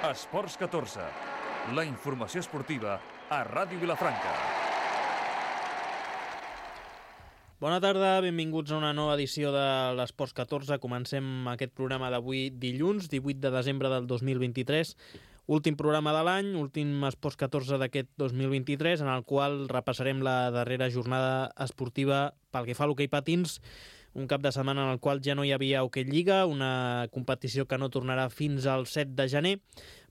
Esports 14, la informació esportiva a Ràdio Vilafranca. Bona tarda, benvinguts a una nova edició de l'Esports 14. Comencem aquest programa d'avui dilluns, 18 de desembre del 2023. Últim programa de l'any, últim Esports 14 d'aquest 2023, en el qual repassarem la darrera jornada esportiva pel que fa a l'hoquei patins, un cap de setmana en el qual ja no hi havia hoquei lliga, una competició que no tornarà fins al 7 de gener,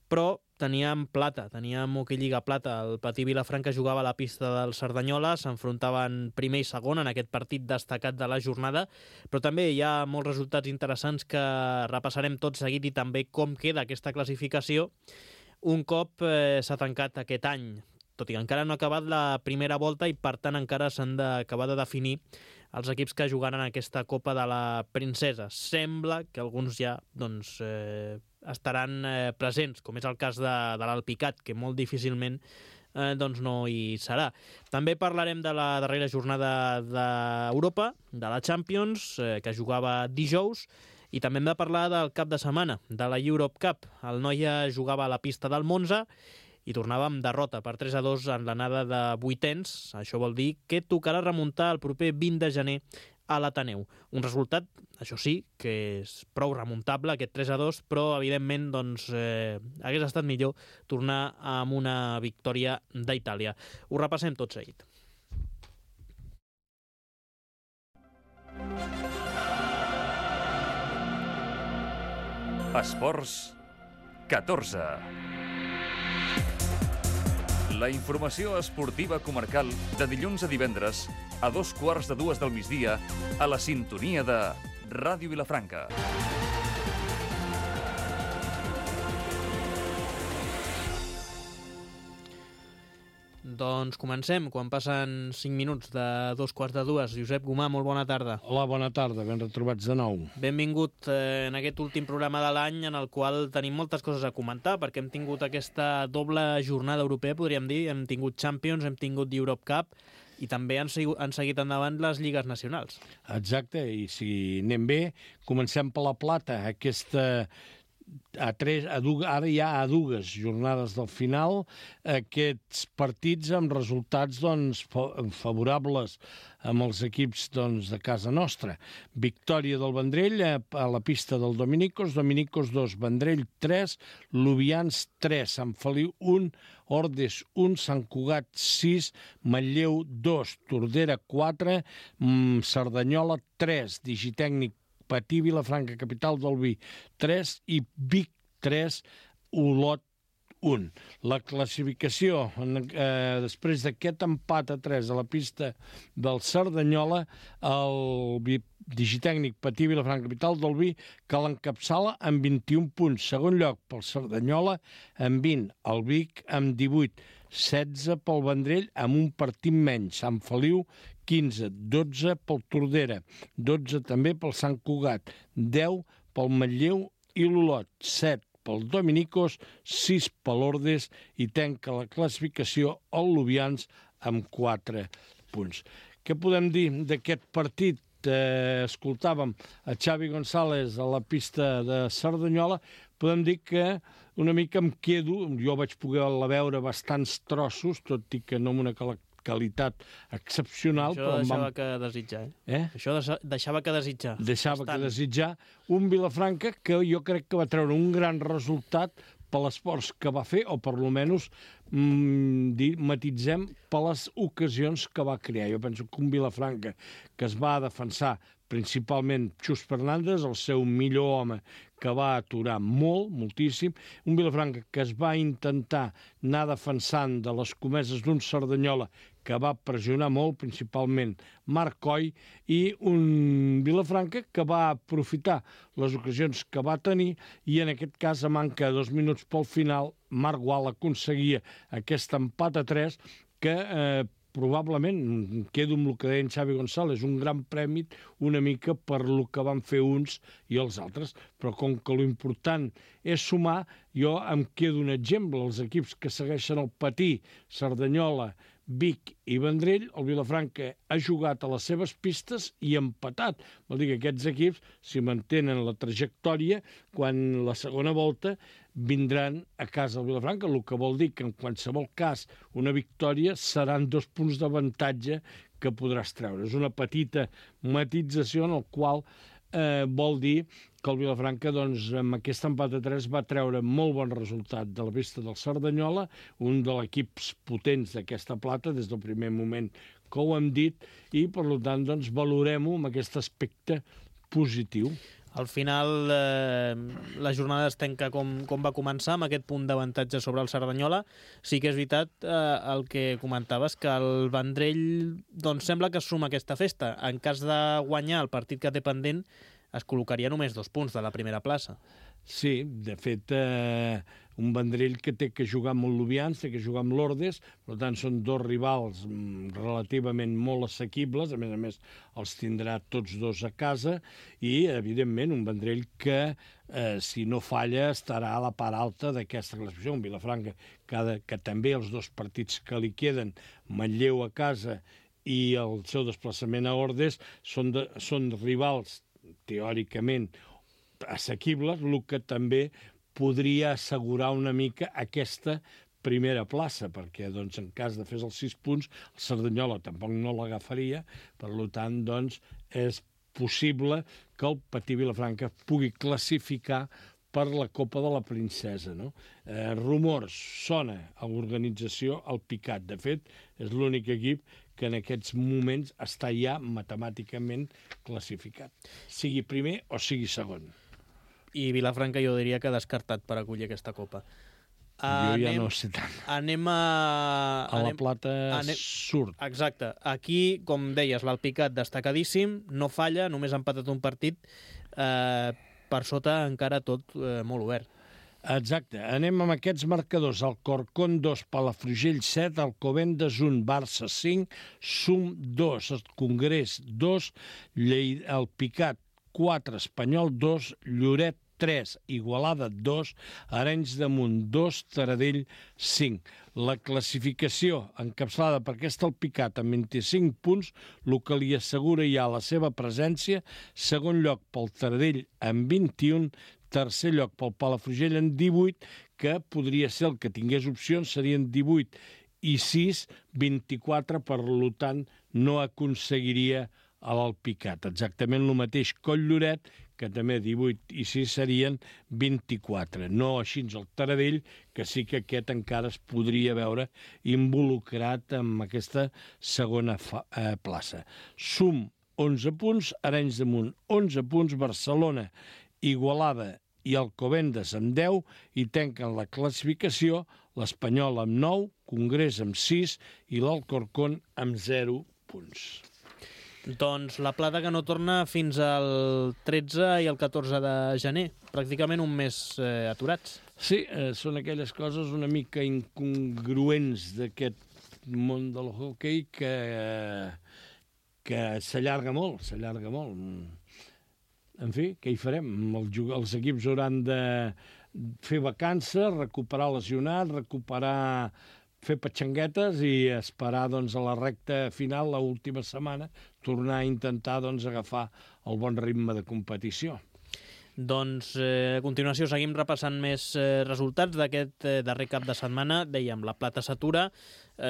però teníem plata, teníem hoquei lliga plata. El Patí Vilafranca jugava a la pista del Cerdanyola, s'enfrontaven primer i segon en aquest partit destacat de la jornada, però també hi ha molts resultats interessants que repassarem tot seguit i també com queda aquesta classificació un cop s'ha tancat aquest any, tot i que encara no ha acabat la primera volta i per tant encara s'han d'acabar de definir els equips que jugaran aquesta Copa de la Princesa. Sembla que alguns ja estaran presents, com és el cas de l'Alpicat, que molt difícilment no hi serà. També parlarem de la darrera jornada d'Europa, de la Champions, que jugava dijous, i també hem de parlar del cap de setmana, de la Europe Cup. El Noia jugava a la pista del Monza i tornava amb derrota per 3-2 en l'anada de vuitens. Això vol dir que tocarà remuntar el proper 20 de gener a l'Ateneu. Un resultat, això sí, que és prou remuntable, aquest 3-2, però evidentment hagués estat millor tornar amb una victòria d'Itàlia. Ho repassem tot seguit. Esports 14. La informació esportiva comarcal de dilluns a divendres a 2:15 del migdia a la sintonia de Ràdio Vilafranca. Doncs comencem, quan passen 5 minuts de 2:15. Josep Gomà, molt bona tarda. Hola, bona tarda, ben retrobats de nou. Benvingut en aquest últim programa de l'any en el qual tenim moltes coses a comentar, perquè hem tingut aquesta doble jornada europea, podríem dir. Hem tingut Champions, hem tingut Europe Cup i també han seguit endavant les lligues nacionals. Exacte, i si anem bé, comencem per la plata, ara ja a dues jornades del final, aquests partits amb resultats favorables amb els equips de casa nostra. Victòria del Vendrell a la pista del Dominicos 2, Vendrell 3, Lubians 3, Sant Feliu 1, Ordes 1, Sant Cugat 6, Manlleu 2, Tordera 4, Cerdanyola 3, Digitècnic Patí Vilafranca, capital del vi, 3 i Vic 3, Olot 1. La classificació, després d'aquest empat a 3 a la pista del Cerdanyola, el Digitècnic Patí Vilafranca, capital del vi, que l'encapçala amb 21 punts. Segon lloc pel Cerdanyola, amb 20. El Vic amb 18. 16 pel Vendrell, amb un partit menys. Sant Feliu, 15. 12 pel Tordera. 12 també pel Sant Cugat. 10 pel Manlleu i l'Olot. 7 pel Dominicos, 6 per l'Ordes i tanca la classificació el Lubians amb 4 punts. Què podem dir d'aquest partit? Escoltàvem a Xavi González a la pista de Cerdanyola. Podem dir que una mica em quedo, jo vaig poder-la veure bastants trossos, tot i que no amb una qualitat excepcional. Això deixava que desitjar, Això deixava que desitjar. Deixava que desitjar. Un Vilafranca que jo crec que va treure un gran resultat per l'esforç que va fer, o per almenys matitzem per les ocasions que va crear. Jo penso que un Vilafranca que es va defensar principalment Xus Fernández, el seu millor home, que va aturar moltíssim. Un Vilafranca que es va intentar anar defensant de les comeses d'un Cerdanyola que va pressionar molt, principalment Marc Coll, i un Vilafranca que va aprofitar les ocasions que va tenir, i en aquest cas, a manca de 2 minuts pel final, Marc Gual aconseguia aquest empat a 3 que probablement, quedo amb el que deia en Xavi González, un gran premi una mica per el que van fer uns i els altres, però com que l'important és sumar, jo em quedo un exemple, els equips que segueixen el Patí, Cerdanyola, Vic i Vendrell, el Vilafranca ha jugat a les seves pistes i empatat. Vol dir que aquests equips, si mantenen la trajectòria, quan la segona volta vindran a casa del Vilafranca, el que vol dir que en qualsevol cas una victòria seran 2 punts d'avantatge que podràs treure. És una petita matització en el qual vol dir que el Vilafranca, doncs, amb aquest empat a 3 va treure molt bon resultat de la pista del Cerdanyola, un dels equips potents d'aquesta plata des del primer moment que ho hem dit, i per tant doncs, valorem-ho amb aquest aspecte positiu. Al final, la jornada es tanca com va començar, amb aquest punt d'avantatge sobre el Cerdanyola. Sí que és veritat el que comentaves, que el Vendrell doncs, sembla que es suma a aquesta festa. En cas de guanyar el partit que té pendent, es col·locaria només 2 punts de la primera plaça. Sí, de fet, un Vendrell que té que jugar amb el Lubians, té que jugar amb l'Ordes, per tant són 2 rivals relativament molt assequibles, a més els tindrà tots 2 a casa, i evidentment un Vendrell que, si no falla, estarà a la part alta d'aquesta classificació. Un Vilafranca que també els 2 partits que li queden, Manlleu a casa i el seu desplaçament a Ordes, són rivals teòricament assequibles, el que també podria assegurar una mica aquesta primera plaça, perquè doncs, en cas de fer els 6 punts, el Cerdanyola tampoc no l'agafaria, per tant, doncs, és possible que el Patí Vilafranca pugui classificar per la Copa de la Princesa. No? Rumors, sona a l'organització el Picat. De fet, és l'únic equip que en aquests moments està ja matemàticament classificat, sigui primer o sigui segon. I Vilafranca jo diria que ha descartat per acollir aquesta Copa. Jo ja no sé tant. Anem a... La Plata surt. Exacte. Aquí, com deies, l'Alpicat destacadíssim, no falla, només ha empatat un partit, per sota encara tot molt obert. Exacte. Anem amb aquests marcadors. Alcorcón 2, Palafrugell 7, Alcobendas 1, Barça 5, Sum 2, Congrés 2, Alpicat 4, Espanyol 2, Lloret 3, Igualada 2, Arenys de Munt 2, Taradell 5. La classificació encapçalada per aquest Alpicat amb 25 punts, el que li assegura ja la seva presència, segon lloc pel Taradell amb 21, tercer lloc pel Palafrugell en 18, que podria ser el que tingués opcions, serien 18 i 6, 24, per tant no aconseguiria a l'Alpicat. Exactament el mateix que el Lloret, que també 18 i 6 serien 24. No així el Taradell, que sí que aquest encara es podria veure involucrat en aquesta segona plaça. Sum 11 punts, Arenys de Munt 11 punts, Barcelona, Igualada i Alcobendas amb 10 i tanquen la classificació l'Espanyol amb 9, Congrés amb 6 i l'Alcorcón amb 0 punts. Doncs la Plata que no torna fins al 13 i el 14 de gener, pràcticament un mes aturats. Sí, són aquelles coses una mica incongruents d'aquest món del hoquei que s'allarga molt, En fi, què hi farem? Els equips hauran de fer vacances, recuperar lesionats, fer patxanguetes i esperar doncs, a la recta final, l'última setmana, tornar a intentar doncs, agafar el bon ritme de competició. Doncs a continuació seguim repassant més resultats d'aquest darrer cap de setmana. Dèiem, la Plata s'atura,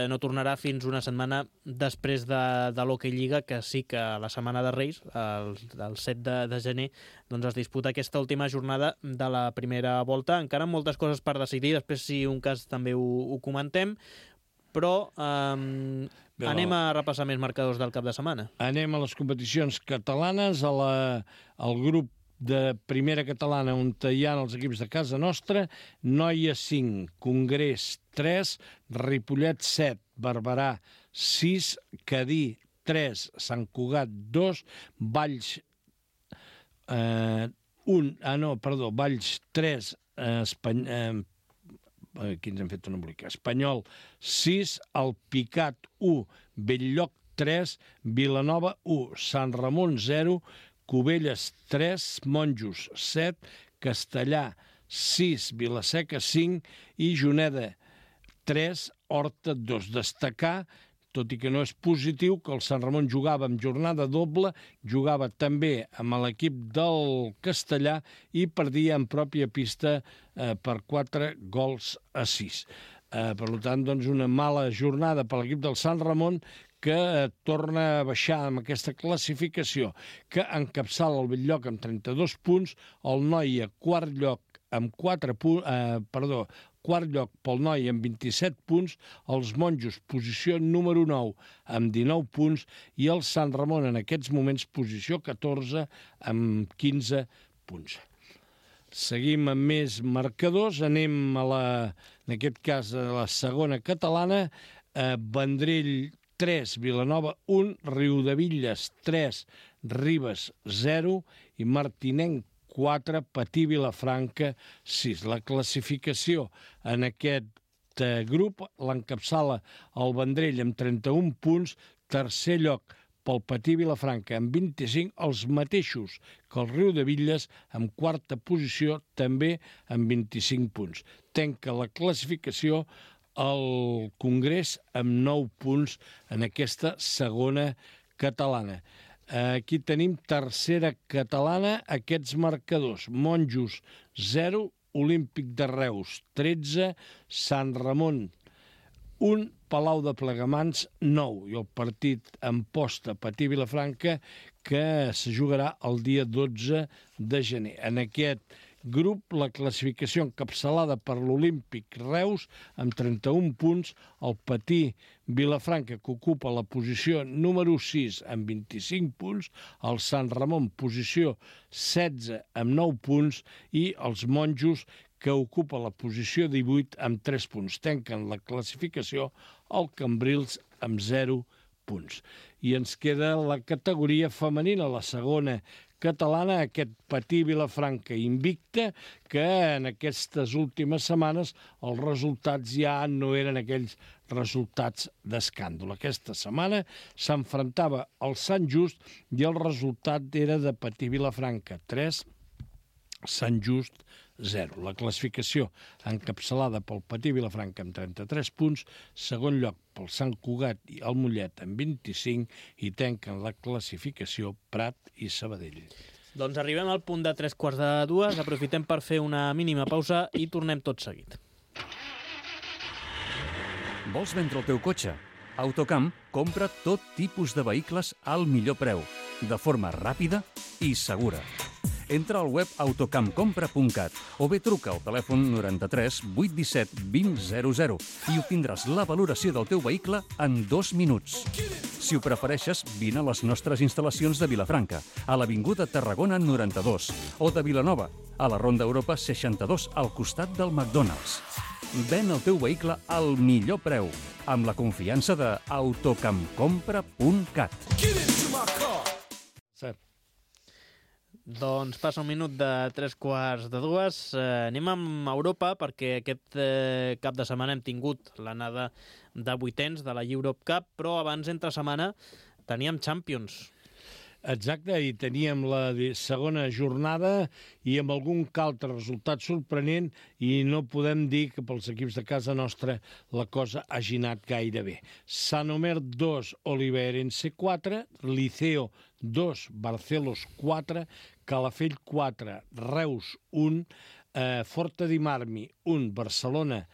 no tornarà fins una setmana després de l'Hockey Lliga, que sí que la setmana de Reis, el 7 de gener, doncs es disputa aquesta última jornada de la primera volta. Encara moltes coses per decidir, després si un cas també ho comentem, però anem a repassar més marcadors del cap de setmana. Anem a les competicions catalanes, al grup de primera catalana on hi ha els equips de casa nostra, Noia 5, Congrés 3, Ripollet 7, Barberà 6, Cadí 3, Sant Cugat 2, Valls Valls 3, aquí ens hem fet un embolic, Espanyol 6, Alpicat 1, Belllloc 3, Vilanova 1, Sant Ramon 0, Cubelles 3, Monjos 7, Castellà 6, Vilaseca 5 i Juneda 3, Horta 2. Destacar tot i que no és positiu, que el Sant Ramon jugava amb jornada doble, jugava també amb l'equip del Castellà i perdia en pròpia pista per 4-6. Per tant, doncs, una mala jornada per l'equip del Sant Ramon, que torna a baixar amb aquesta classificació, que encapçala el Bell-lloc amb 32 punts, el Noia quart lloc amb quart lloc pel Noia amb 27 punts, els Monjos posició número 9 amb 19 punts i el Sant Ramon en aquests moments posició 14 amb 15 punts. Seguim amb més marcadors, anem en aquest cas a la segona catalana, Vendrell 3, Vilanova 1, Riudevilles 3, Ribes 0 i Martinenc 4, Patí Vilafranca 6. La classificació en aquest grup l'encapçala el Vendrell amb 31 punts, tercer lloc pel Patí Vilafranca amb 25, els mateixos que el Riudevilles amb quarta posició també amb 25 punts. Tanca la classificació el Congrés amb 9 punts en aquesta segona catalana. Aquí tenim tercera catalana, aquests marcadors. Monjos 0, Olímpic de Reus 13, Sant Ramon 1, Palau de Plegamans 9 i el partit en posta Patí Vilafranca que se jugarà el dia 12 de gener. En aquest grup, la classificació encapçalada per l'Olímpic Reus amb 31 punts, el Patí Vilafranca que ocupa la posició número 6 amb 25 punts, el Sant Ramon posició 16 amb 9 punts i els Monjos que ocupa la posició 18 amb 3 punts. Tanquen la classificació el Cambrils amb 0 punts. I ens queda la categoria femenina, la segona catalana, aquest Patí Vilafranca invicta, que en aquestes últimes setmanes els resultats ja no eren aquells resultats d'escàndol. Aquesta setmana s'enfrontava al Sant Just i el resultat era de Patí Vilafranca 3, Sant Just 0. La classificació encapçalada pel Patí Vilafranca amb 33 punts, segon lloc pel Sant Cugat i el Mollet amb 25 i tanquen la classificació Prat i Sabadell. Doncs arribem al punt de 3:45, aprofitem per fer una mínima pausa i tornem tot seguit. Vols vendre el teu cotxe? Autocamp compra tot tipus de vehicles al millor preu, de forma ràpida i segura. Entra al web autocampcompra.cat o bé truca al telèfon 93 817 2000 i obtindràs la valoració del teu vehicle en 2 minuts. Si ho prefereixes, vine a les nostres instal·lacions de Vilafranca, a l'Avinguda Tarragona 92, o de Vilanova, a la Ronda Europa 62, al costat del McDonald's. Ven el teu vehicle al millor preu, amb la confiança de autocampcompra.cat. Cert. Doncs passa un minut de 3:45. Anem amb Europa perquè aquest cap de setmana hem tingut l'anada de vuitens de la Europe Cup, però abans, entre setmana, teníem Champions. Exacte, i teníem la segona jornada i amb algun altre resultat sorprenent i no podem dir que pels equips de casa nostra la cosa hagi anat gaire bé. Sant Omer 2, Oliveirense 4, Liceo 2, Barcelos 4, Calafell 4, Reus 1, Forta di Marmi 1, Barcelona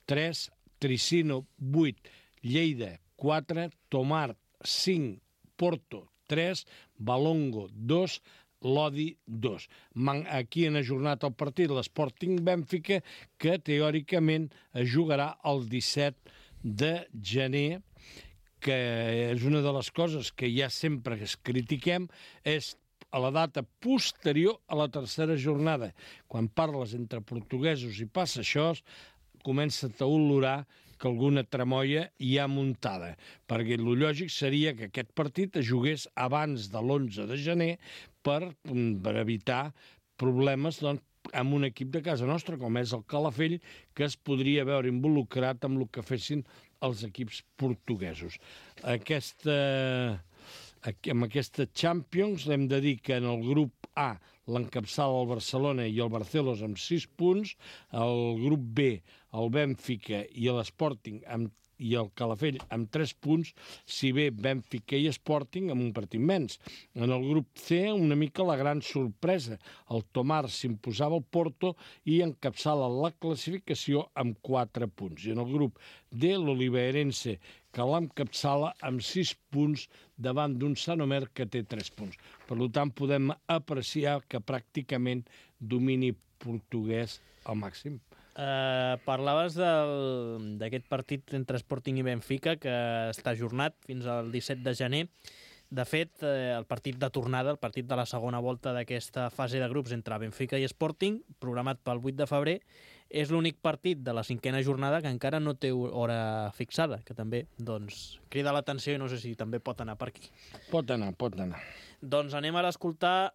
3, Tricino 8, Lleida 4, Tomar 5, Porto 3, Balongo 2, Lodi 2. Aquí han ajornat el partit l'Sporting Bènfica, que teòricament es jugarà el 17 de gener, que és una de les coses que ja sempre es critiquem, és a la data posterior a la tercera jornada. Quan parles entre portuguesos i passa això, comença a olorar que alguna tramoia hi ha muntada, perquè el lògic seria que aquest partit es jugués abans de l'11 de gener per evitar problemes amb un equip de casa nostra, com és el Calafell, que es podria veure involucrat amb el que fessin els equips portuguesos. Amb aquesta Champions hem de dir que en el grup A l'encapçala el Barcelona i el Barcelos amb 6 punts, el grup B el Bènfica i l'Sporting i el Calafell amb 3 punts, si bé Benfica i Sporting amb un partit menys. En el grup C, una mica la gran sorpresa. El Tomar s'imposava al Porto i encapçala la classificació amb 4 punts. I en el grup D, l'Oliveirense, que l'encapçala amb 6 punts davant d'un Sant Omer que té 3 punts. Per tant, podem apreciar que pràcticament domini portuguès al màxim. Parlaves d'aquest partit entre Sporting i Benfica, que està ajornat fins al 17 de gener. De fet, el partit de tornada, el partit de la segona volta d'aquesta fase de grups entre Benfica i Sporting, programat pel 8 de febrer, és l'únic partit de la 5a jornada que encara no té hora fixada, que també crida l'atenció i no sé si també pot anar per aquí. Pot anar. Doncs anem ara a escoltar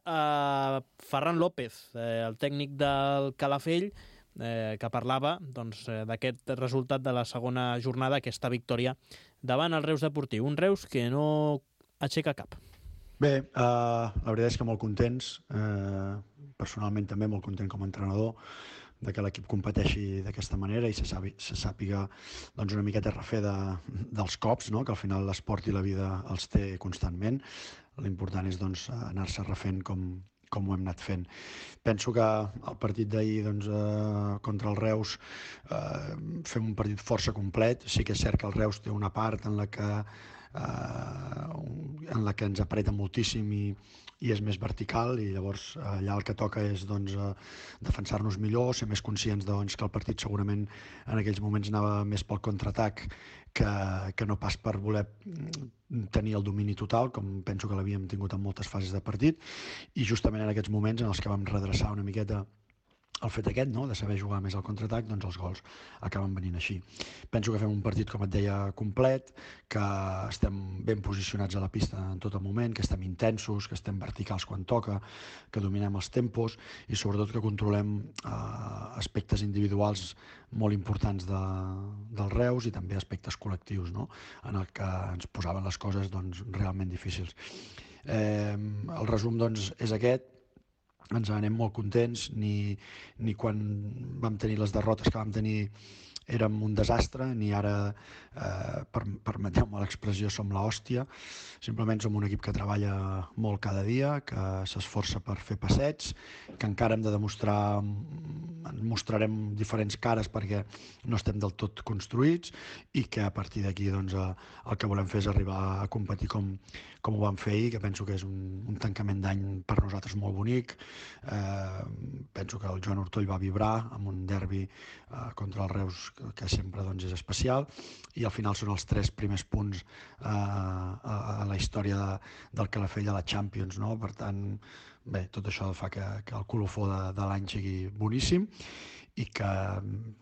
Ferran López, el tècnic del Calafell, que parlava d'aquest resultat de la segona jornada, aquesta victòria davant el Reus Deportiu. Un Reus que no aixeca cap. Bé, la veritat és que molt contents, personalment també molt content com a entrenador, de que l'equip competeixi d'aquesta manera i se sàpiga una miqueta refer dels cops, no? Que al final l'esport i la vida els té constantment. L'important és anar-se refent com ho hem anat fent. Penso que el partit d'ahir contra el Reus fem un partit força complet. Sí que és cert que el Reus té una part en la que ens apreta moltíssim i és més vertical, i llavors allà el que toca és defensar-nos millor, ser més conscients que el partit segurament en aquells moments anava més pel contraatac que no pas per voler tenir el domini total, com penso que l'havíem tingut en moltes fases de partit, i justament en aquests moments en els que vam redreçar una miqueta el fet aquest, no?, de saber jugar més al contraatac, els gols acaben venint així. Penso que fem un partit, com et deia, complet, que estem ben posicionats a la pista en tot el moment, que estem intensos, que estem verticals quan toca, que dominem els tempos i sobretot que controlem aspectes individuals molt importants del Reus i també aspectes col·lectius, no?, en el que ens posaven les coses realment difícils. El resum és aquest. Ens anem molt contents, ni quan vam tenir les derrotes que vam tenir érem un desastre, ni ara, permeteu-me l'expressió, som l'hòstia. Simplement som un equip que treballa molt cada dia, que s'esforça per fer passets, que encara hem de demostrar, ens mostrarem diferents cares perquè no estem del tot construïts i que a partir d'aquí el que volem fer és arribar a competir com ho vam fer ahir, que penso que és un tancament d'any per nosaltres molt bonic. Penso que el Joan Ortoll va vibrar amb un derbi contra el Reus que sempre és especial, i al final són els 3 primers punts a la història del Calafell a la Champions, no? Per tant, bé, tot això fa que el colofó de l'any sigui boníssim i que,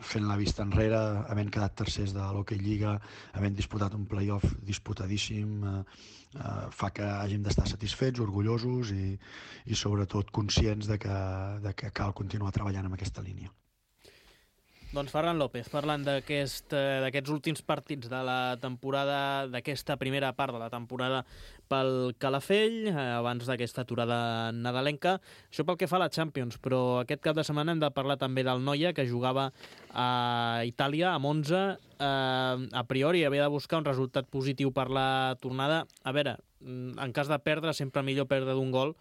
fent la vista enrere, havent quedat tercers de l'Hockey Lliga, havent disputat un playoff disputadíssim, fa que hàgim d'estar satisfets, orgullosos i sobretot conscients de que cal continuar treballant en aquesta línia. Doncs Ferran López, parlant d'aquests últims partits de la temporada, d'aquesta primera part de la temporada pel Calafell, abans d'aquesta aturada nadalenca. Això pel que fa a la Champions, però aquest cap de setmana hem de parlar també del Noia, que jugava a Itàlia, a Monza. A priori havia de buscar un resultat positiu per la tornada. A veure, en cas de perdre, sempre millor perdre d'un gol,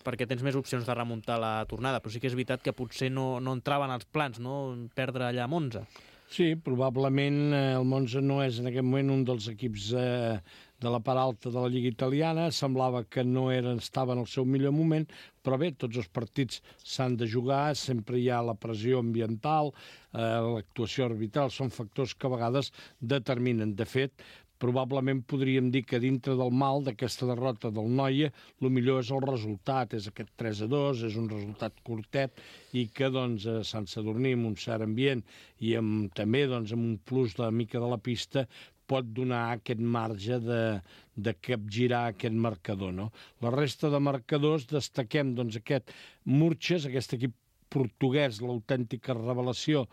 perquè tens més opcions de remuntar la tornada, però sí que és veritat que potser no entraven als plans, no?, perdre allà a Monza. Sí, probablement el Monza no és en aquest moment un dels equips de la part alta de la Lliga italiana, semblava que no estava en el seu millor moment, però bé, tots els partits s'han de jugar, sempre hi ha la pressió ambiental, l'actuació arbitral, són factors que a vegades determinen. De fet, probablement podríem dir que dintre del mal d'aquesta derrota del Noia, el millor és el resultat, és aquest 3-2, és un resultat curtet i que a Sant Sadurní, amb un cert ambient i també amb un plus de mica de la pista, pot donar aquest marge de capgirar aquest marcador, no? La resta de marcadors destaquem aquest Murches, aquest equip portuguès, l'autèntica revelació,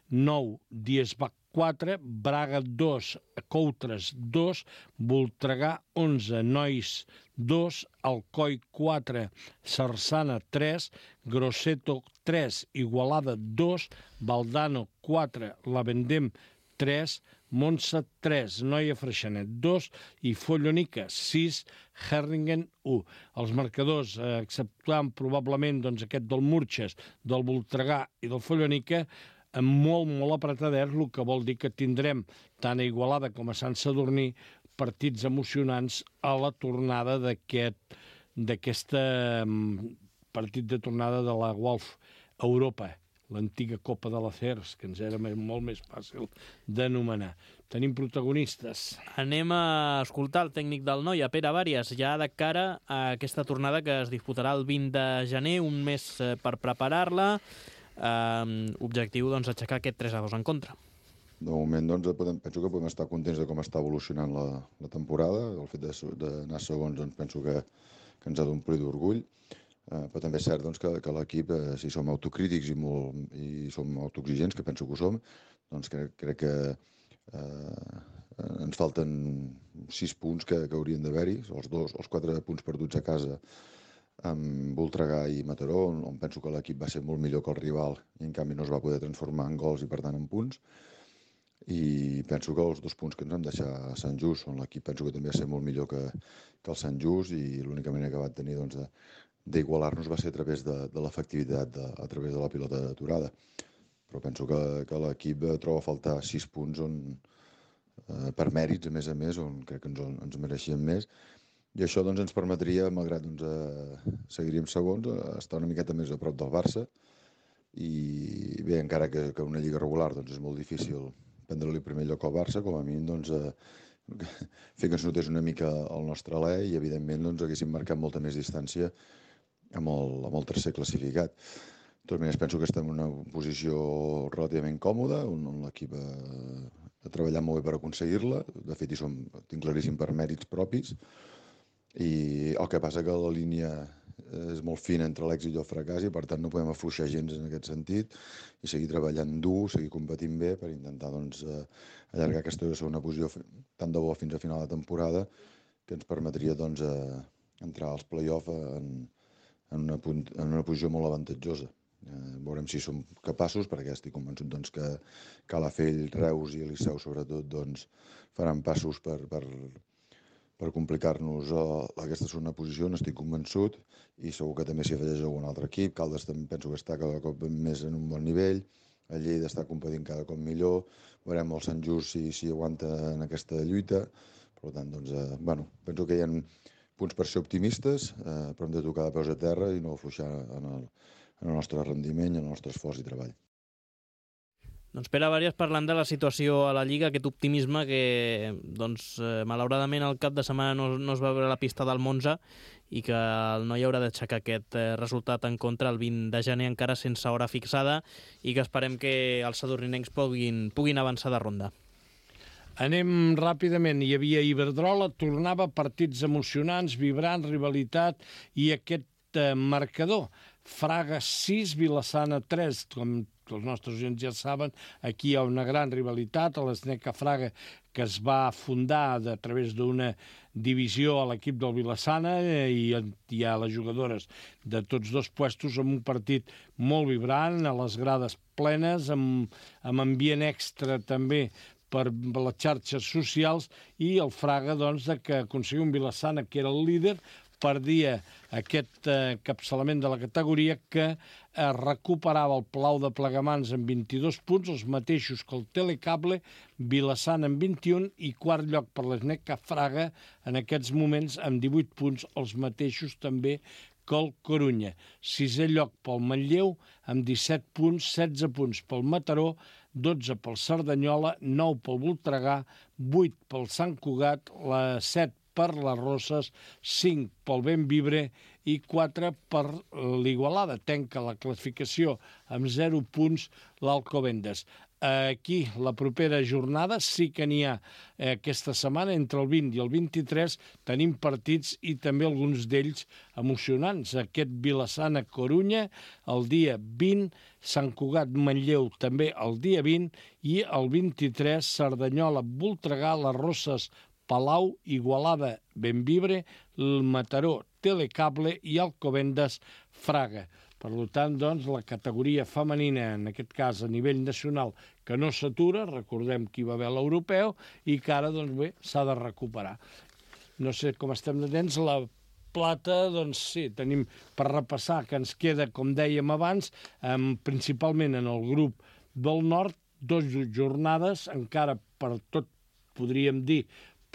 9, Diezbach 4, Braga 2, Coutres 2, Voltregà 11, Nois 2, Alcoi 4, Sarsana 3, Grosseto 3, Igualada 2, Valdano 4, La Vendem 3, Montse 3, Noia Freixenet 2 i Follonica 6, Herringen 1. Els marcadors, exceptuant probablement aquest del Murges, del Voltregà i del Follonica, molt apretaders, el que vol dir que tindrem tant a Igualada com a Sant Sadurní partits emocionants a la tornada d'aquest partit de tornada de la Wolf Europa, l'antiga Copa de l'Acers, que ens era molt més fàcil d'anomenar. Tenim protagonistes. Anem a escoltar el tècnic del Noia, Pere Bàries, ja de cara a aquesta tornada que es disputarà el 20 de gener, un mes per preparar-la. Objectiu, aixecar aquest 3-2 en contra. De moment, penso que podem estar contents de com està evolucionant la temporada. El fet d'anar segons, penso que ens ha d'omplir d'orgull. Però també és cert que l'equip, si som autocrítics i som autoexigents, que penso que ho som, crec que ens falten 6 punts que haurien d'haver-hi, els 4 punts perduts a casa amb Voltregà i Mataró, on penso que l'equip va ser molt millor que el rival i en canvi no es va poder transformar en gols i per tant en punts. I penso que els 2 punts que ens vam deixar a Sant Just, on l'equip penso que també va ser molt millor que el Sant Just, i l'única manera que va tenir d'igualar-nos va ser a través de l'efectivitat, a través de la pilota d'aturada. Però penso que l'equip troba a faltar 6 punts per mèrits, a més, on crec que ens mereixíem més. I això ens permetria, malgrat seguiríem segons, estar una miqueta més a prop del Barça. I bé, encara que una lliga regular és molt difícil prendre-li el primer lloc al Barça, com a mínim fer que ens notés una mica el nostre alè i evidentment haguéssim marcat molta més distància amb el tercer classificat. De totes maneres, penso que estem en una posició relativament còmoda, on l'equip ha treballat molt bé per aconseguir-la. De fet, tinc claríssim per mèrits propis. I el que passa que la línia és molt fina entre l'èxit i el fracàs i per tant no podem afluixar gens en aquest sentit i seguir treballant dur, seguir competint bé per intentar allargar aquesta segona posició tant de bo fins a final de temporada, que ens permetria entrar als play-off en una posició molt avantatjosa. Veurem si som capaços, perquè estic convençut que Calafell, Reus i Eliseu sobretot faran passos per complicar-nos aquesta segona posició, n'estic convençut, i segur que també s'hi afegeix algun altre equip. Caldes també penso que està cada cop més en un bon nivell, el Lleida està competint cada cop millor, veurem el Sant Just si aguanta en aquesta lluita. Per tant, penso que hi ha punts per ser optimistes, però hem de tocar de peus a terra i no afluixar en el nostre rendiment i en el nostre esforç i treball. Doncs Pere Bàries, parlant de la situació a la Lliga, aquest optimisme que, malauradament, el cap de setmana no es va veure la pista del Monza i que el Noia haurà d'aixecar aquest resultat en contra el 20 de gener, encara sense hora fixada, i que esperem que els sadurninencs puguin avançar de ronda. Anem ràpidament. Hi havia Iberdrola, tornava partits emocionants, vibrants, rivalitat i aquest marcador. Fraga 6, Vilassana 3, com els nostres oients ja saben, aquí hi ha una gran rivalitat, a l'Sneca Fraga, que es va fundar a través d'una divisió a l'equip del Vilassana i hi ha les jugadores de tots dos puestos amb un partit molt vibrant, a les grades plenes, amb ambient extra també per les xarxes socials, i el Fraga, que aconseguia un Vilassana que era el líder, perdia aquest capçalament de la categoria, que recuperava el Palau de Plegamans amb 22 punts, els mateixos que el Telecable, Vilassana amb 21 i quart lloc per l'Sneca Fraga en aquests moments amb 18 punts, els mateixos també que el Corunya. Sisè lloc pel Manlleu amb 17 punts, 16 punts pel Mataró, 12 pel Cerdanyola, 9 pel Voltregà, 8 pel Sant Cugat, 7 per les Roses, 5 pel Bemvibre i 4 per l'Igualada. Tanca la classificació amb 0 punts l'Alcobendas. Aquí, la propera jornada, sí que n'hi ha aquesta setmana, entre el 20 i el 23, tenim partits i també alguns d'ells emocionants. Aquest Vilassana-Corunya el dia 20, Sant Cugat-Manlleu també el dia 20 i el 23, Cerdanyola-Voltregà, les Roses, Palau, Igualada, Bemvibre, el Mataró, Telecable i Alcobendas, Fraga. Per tant, doncs, la categoria femenina, en aquest cas a nivell nacional, que no s'atura, recordem que hi va haver l'europeu, i que ara, doncs bé, s'ha de recuperar. No sé com estem de temps, la plata, doncs sí, tenim per repassar que ens queda, com dèiem abans, principalment en el grup del nord, 2 jornades, encara per tot, podríem dir,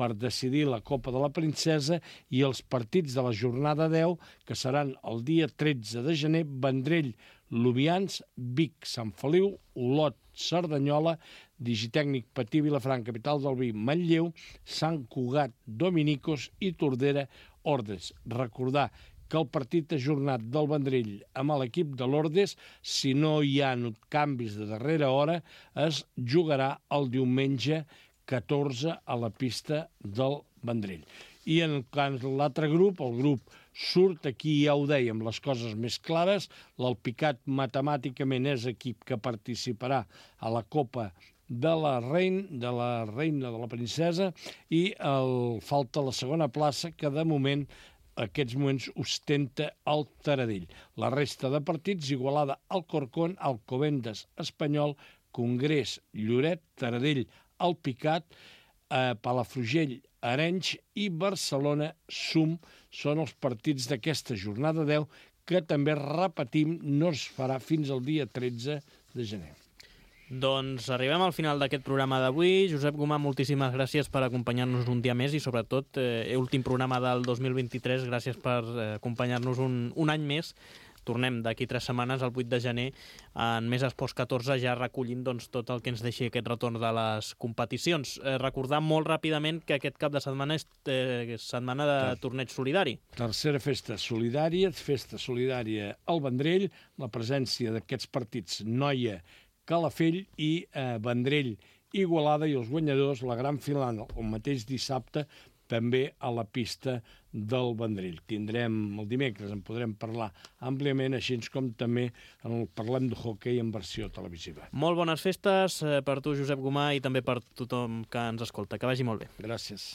per decidir la Copa de la Princesa i els partits de la jornada 10, que seran el dia 13 de gener, Vendrell, Lubians, Vic, Sant Feliu, Olot, Cerdanyola, Digitècnic Patí, Vilafranca, capital del vi, Manlleu, Sant Cugat, Dominicos i Tordera, Ordes. Recordar que el partit ajornat del Vendrell amb l'equip de l'Ordes, si no hi ha canvis de darrera hora, es jugarà el diumenge 14 a la pista del Vendrell. I en l'altre grup, el grup surt, aquí ja ho dèiem, les coses més clares, l'Alpicat matemàticament és equip que participarà a la Copa de la Reina, de la Princesa, i falta la segona plaça, que de moment aquests moments ostenta el Taradell. La resta de partits, Igualada, Alcorcón, Alcobendas, Espanyol, Congrés, Lloret, Taradell, Alpicat, Palafrugell, Arenys i Barcelona, Sum, són els partits d'aquesta jornada 10, que també, repetim, no es farà fins al dia 13 de gener. Doncs arribem al final d'aquest programa d'avui. Josep Gomà, moltíssimes gràcies per acompanyar-nos un dia més i, sobretot, últim programa del 2023. Gràcies per acompanyar-nos un any més. Tornem d'aquí 3 setmanes, el 8 de gener, en Més Esports 14, ja recollint tot el que ens deixi aquest retorn de les competicions. Recordar molt ràpidament que aquest cap de setmana és setmana de torneig solidari. Tercera festa solidària al Vendrell, la presència d'aquests partits Noia, Calafell i Vendrell, Igualada, i els guanyadors, la gran final el mateix dissabte, també a la pista del Vendrell. Tindrem el dimecres, en podrem parlar àmpliament, així com també parlem de hoquei en versió televisiva. Molt bones festes per tu, Josep Gomà, i també per tothom que ens escolta. Que vagi molt bé. Gràcies.